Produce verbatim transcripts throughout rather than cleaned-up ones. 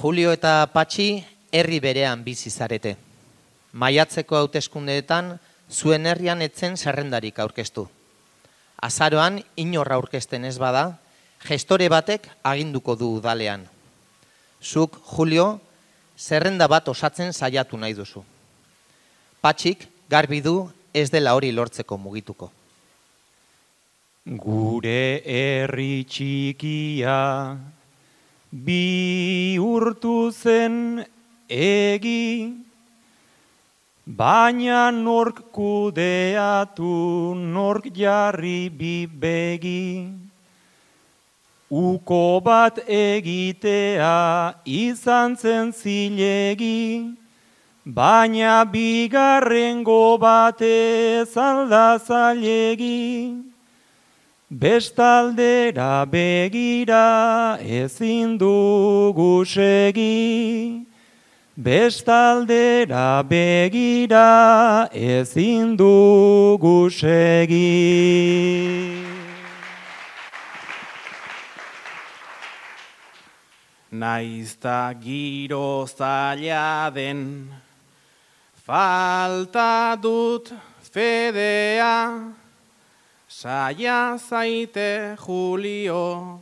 Julio eta Patxi herri berean bizi zarete. Maiatzeko hauteskundeetan zuen herrian etzen zerrendarik aurkeztu. Azaroan inorra aurkezten ez bada, gestore batek aginduko du udalean. Zuk, Julio, zerrenda bat osatzen saiatu nahi duzu. Patxik garbi du ez dela hori lortzeko mugituko. Gure herri txikia bihurtu zen egi, baina nork kudeatu, nork jarri bibegi. Uko bat egitea izan zen zilegi, baina bigarrengo batez alda zailegi. Bestaldera begira ezin dugu segi, bestaldera begira ezin dugu segi. Naizta giro zaila den, falta dut fedea, saia zaite Julio,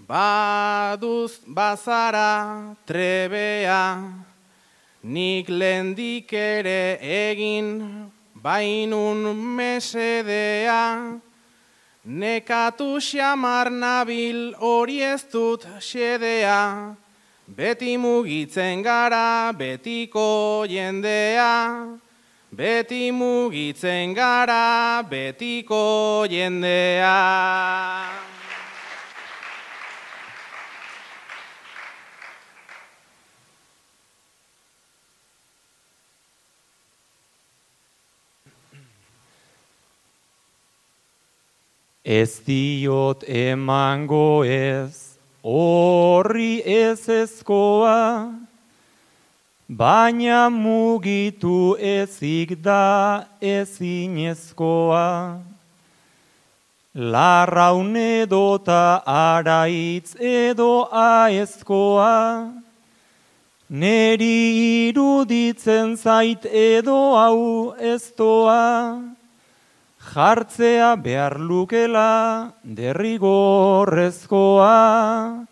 baduz bazara trebea, nik lendik ere egin bainun mesedea, nekatu xamar nabil hori ez dut xedea, beti mugitzen gara betiko jendea, beti mugitzen gara betiko jendea. Ez diot emango ez, horri ez ezkoa, baina mugitu ezik da ezinezkoa. Larraun edota araitz edo aezkoa, neri iruditzen zait edo hau eztoa, jartzea behar lukela derrigorrezkoa,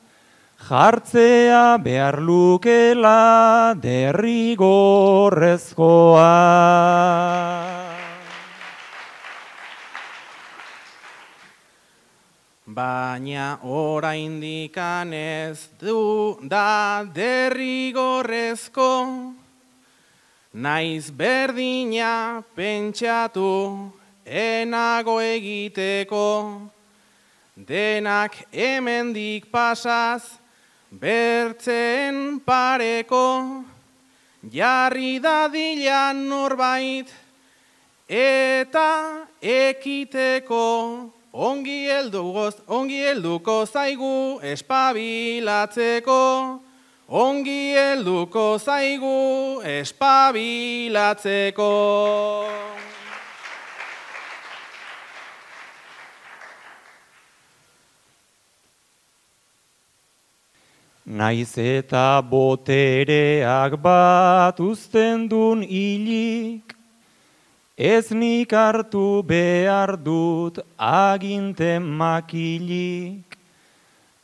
jartzea behar lukela derrigorrezkoa. Baina oraindikan ez du da derrigorrezko, naiz berdina pentsatu enago egiteko, denak hemendik pasaz bertzen pareko, jarri dadila norbait eta ekiteko, ongi heldu ongi helduko zaigu espabilatzeko, ongi helduko zaigu espabilatzeko. Naiz eta botereak bat uzten dun hilik, ez nik hartu behar dut aginten makilik.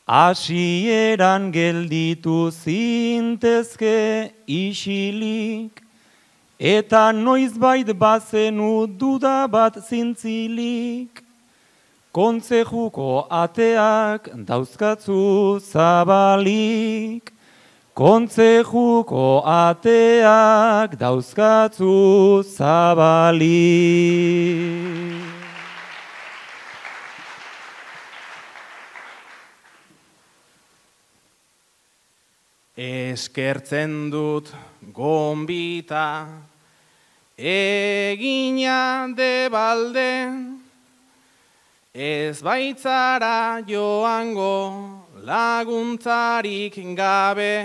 Hasieran gelditu zintezke isilik, eta noizbait bazenu duda bat zintzilik. Kontzejuko ateak dauzkatzu zabalik, kontzejuko ateak dauzkatzu zabalik. Eskertzen dut gonbita, egina debalde, ez baitzara joango laguntzarik gabe,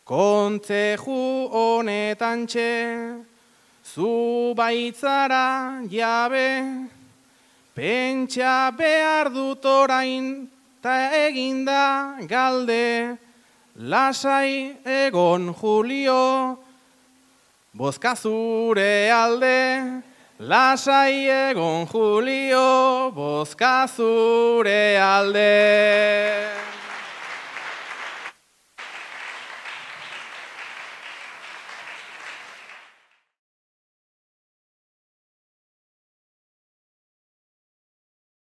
kontzeju honetan txe, zu baitzara jabe, pentsa behar dut orain, ta eginda galde, lasai egon Julio, bozka zure alde. Lasai egon Julio, bozka zure alde.